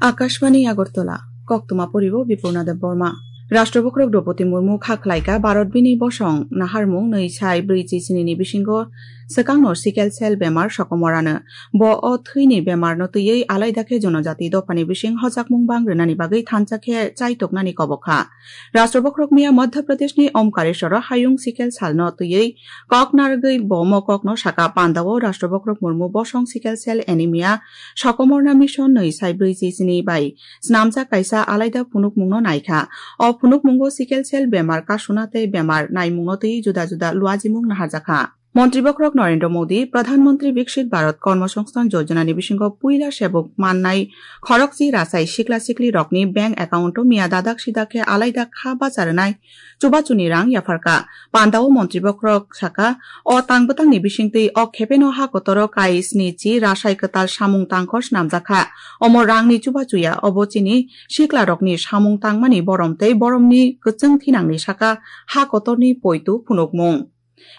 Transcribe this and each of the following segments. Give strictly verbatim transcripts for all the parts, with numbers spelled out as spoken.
Akashbani Agartala, koktwma poribo Bipurna Deb Borma. Rashtra Bokhorok Droupadi Murmu kha khlaika Bharat bini bosong naharmung nwi sai brwi chi sini ni bisingo swkangno sickle cell bemar sokomorano. Bo o thwini bemarno twiwi alaida khe jonojati dophani bising hojakmung bang rwnani bagwi thansa khe chaitoknani kobok kha. Rashtra Bokhorok miya Madhya Pradeshni Omkareshwaro hayung sickle cellno twiwi kok narwgwi bo mokokno saka. Pandao Rashtra Bokhorok Murmu bosong sickle cell anemia sokomorna mission nwi sai brwi chi sini bai snamjak kaisa alaida phunukmungno naikha. O phunukmungo sickle cell bemar kasuna tei bemar naimungno twi juda juda luajimung naharjakha. Montri Bokhorok Narendra Modi, Pradhan Mantri Viksit Bharat Karma Sangsthan Yojana ni bisingo puila sebuk mannai khorokchi rasai sikla sikli rokni bank account o miya dadak sidak khe alaida kha bacharwnai chubachuni rang yapharkha. Pandao Montri Bokhorok saka, o tang bwtangni bisingtwi o khepeno ha kotoro kai sni chi rasai kwtal samung tangkhor snamjakha. Omo rangni chubachuya, obo chini sikla rokni samung tangmani borom tei boromni kwchwng thinangni saka ha kotorni poitu phunukmung.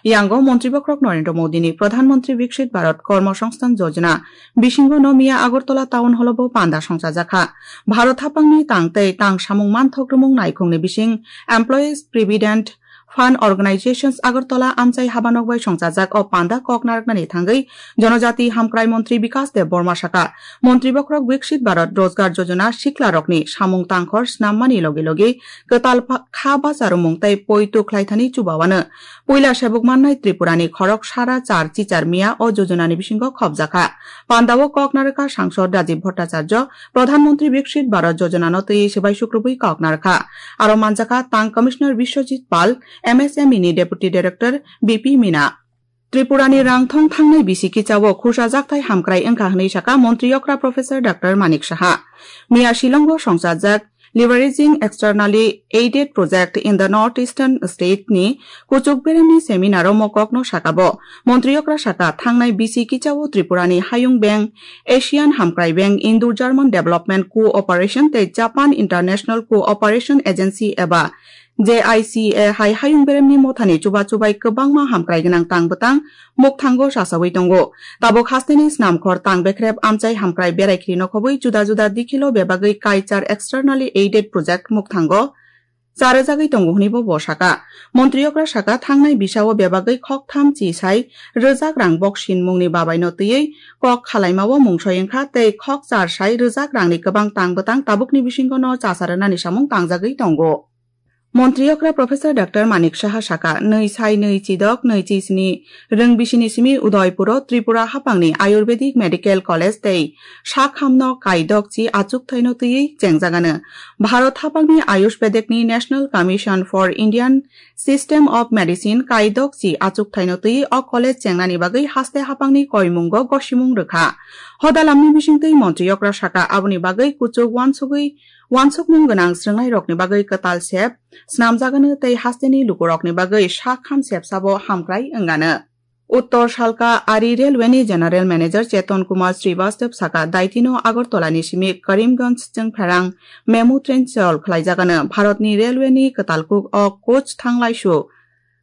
Yango Montri Bokhorok Narendra Modi ni Pradhan Mantri Viksit Bharat Karma Sangsthan Yojana bisingo no miya Agartala Town Hall o bo panda songchajakha. Bharat haphangni tang tei tang samung manthok rwmung naikhungni bising Employees Provident Fund Organizations Agartala amchai habanok bai songchajak o panda kok narwknani thangwi Jonojati Hamkrai Montri Bikas Deb Borma saka, Montri Bokhorok Viksit Bharat Rojgar Yojana sikla rokni samung tangkhor snammani logi logi kwtal pha-, kha bacharwmung tei poitu khlaithani chubawano. Puila sebuk mannai Tripurani khorok sara char chichar miya o jojonani bisingo khopjakha. Pandao kok narwkha Sangsod Rajiv Bhattacharya, Pradhan Mantri Viksit Bharat Jojonano twi swbai sukrubwi kok narwkha. Aro manjakha Tang Commissioner Biswajit Pal, M S M E ni Deputy Director B P Meena. Tripurani rangthong thangnai bisi kichao khursa jakthai hamkrai wngkha hwnwi saka Montri okra Professor Doctor Manik Saha. Miya Shillongo songchajak Leveraging Externally Aided Project in the North Eastern State ni kuchuk beremni seminar o mokokno saka bo. Montri okra saka, thangnai bisi kichao Tripurani Hayung Bank, Asian Hamkrai Bank, Indo-German Development Cooperation tei Japan International Cooperation Agency eba J I C A hai hayung beremni mothani chuba chubai kwbangma hamkrai gwnang tang bwtang mukthango chachawi tongo. Tabuk hasteni snamkhor tang bekrep amchai hamkrai berai khiri nokhobwi juda juda dikhilo bebagwi kaichar externally aided project mukthango charwjagwi tongo hwnwi bo bo saka. Montri okra saka, thangnai bisao bebagwi khoktham chi sai rwjak rang boksin mungni babaino twiwi kok khalaimao mungsoi wngkha tei khok char sai rwjak rangni kwbang tang bwtang tabukni bisingono chacharwnani samung tangjagwi tongo. Montri okra Professor Doctor Manik Saha saka, nwi sai nwi chidok nwi chi sni rwng bisini simi Udaipuro Tripura haphangni Ayurvedic Medical College tei sakhamno kaidok chi achukthai no twiwi chengjagano. Bharat haphangni Ayurvedic ni National Commission for Indian System of Medicine kaidok chi achukthai no twiwi o college chengnani bagwi haste haphangni koimungo gosimung rwkha. Hodalamni bisingtwi Montri okra saka, aboni bagwi kuchuk wansugwi wansukmung gwnang srwngnairokni bagwi kwtal sep snamjagano tei hasteni lukurokni bagwi sak ham sepsabo hamkrai wngano. Uttor Salka Ari Railway ni General Manager Cheton Kumar Srivastava saka, daitino Agartala ni simi Karimganj chwngpherang memu train chol khlaijagano. Bharatni railway ni kwtal kuk o coach thanglaisu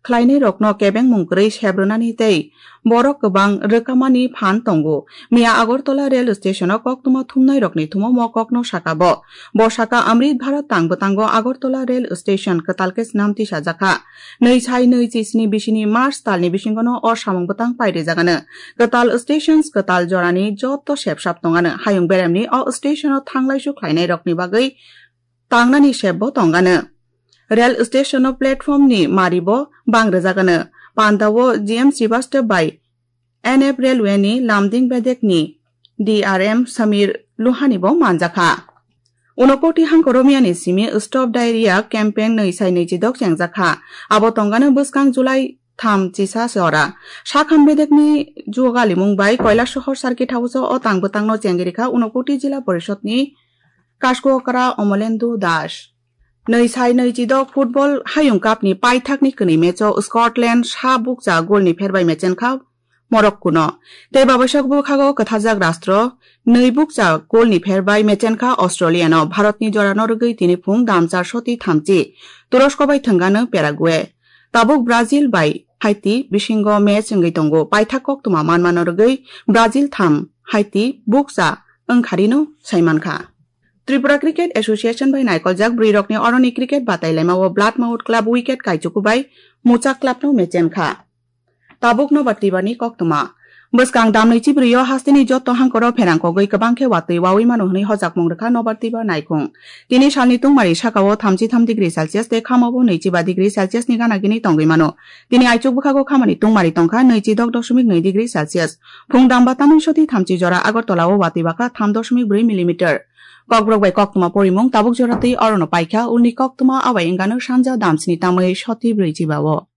khlainairokno kebengmung kwrwi sebrwnani tei borok kwbang rwkamani phan tongo. Miya Agartala rail station o koktwma thumnairokni thumo mokokno saka bo. Bo saka, Amrit Bharat tang bwtango Agartala rail station kwtal khe snam tisajakha. Nwi sai nwi chi sni bisini March talni bisingono o samung bwtang pairijagano. Kwtal stations kwtal jorani joto sepsap tongano. Hayung beremni o station o thanglaisu khlainairokni bagwi tangnani sep bo tongano. Rail station o platform ni mari bo bang rwjagano. Pandao G M Srivastava bai N F Railway ni Lumding bedek ni D R M Samir Luhani bo manjakha. Unakoti hangkor Romia ni simi Stop Diarrhea campaign nwi sai nwi chidok chengjakha. Abo tongano bwskang July tham chisa se ora. Sakham bedek ni jugalimung bai Kailasohor Circuit House o tang bwtang no chengirikha Unakoti Jila Porishod ni Kaskokra Omolendu Das. Nwi sai nwi chidok football hayung cup ni paithak ni kwnwi match o Scotland sa bukcha goal ni pherbai mechenkha Morocco no. Tei babaisok bwkhago kwtharjak rastro nwi bukcha goal ni pherbai mechenkha Australia no. Bharat ni jora no rwgwi tini phung dam char soti thamchi Turosko bai thwngano Paraguay. Tabuk Brazil bai haiti bisingo match wngwi tongo. Paithak koktwma manmano rwgwi Brazil tham haiti bukcha wngkharino saimankha. Tripura Cricket Association bai naikoljak bwrwirokni oroni cricket batailaimao Blood Mouth Club wicket kaichuku bai Muchak Clubno mechenkha. Tabuk nobar twibani koktwma. Bwskang damnwi chibrwi o hasteni jotto hangkoro pherang kogwi kwbang khe watwi wawi mano hwnwi hojakmung rwkha nobar twiba naikhung. Tini salni tungmari sakao thamchi tham degree Celsius tei khamao nwichiba degree Celsius ni gana gini tongwi mano. Tini aichuk bwkhago khamani tungmari tongkha nwichidok doshmik nwi degree Celsius. Phung damba tamni soti thamchi jora Agartala o watwi bakha tham doshmik bwrwi millimeter. Kokborok bai koktwma porimung tabuk jora twi orono paikha ulni koktwma abai wngano sanja damsni tamwi soti bwrwi chiba o.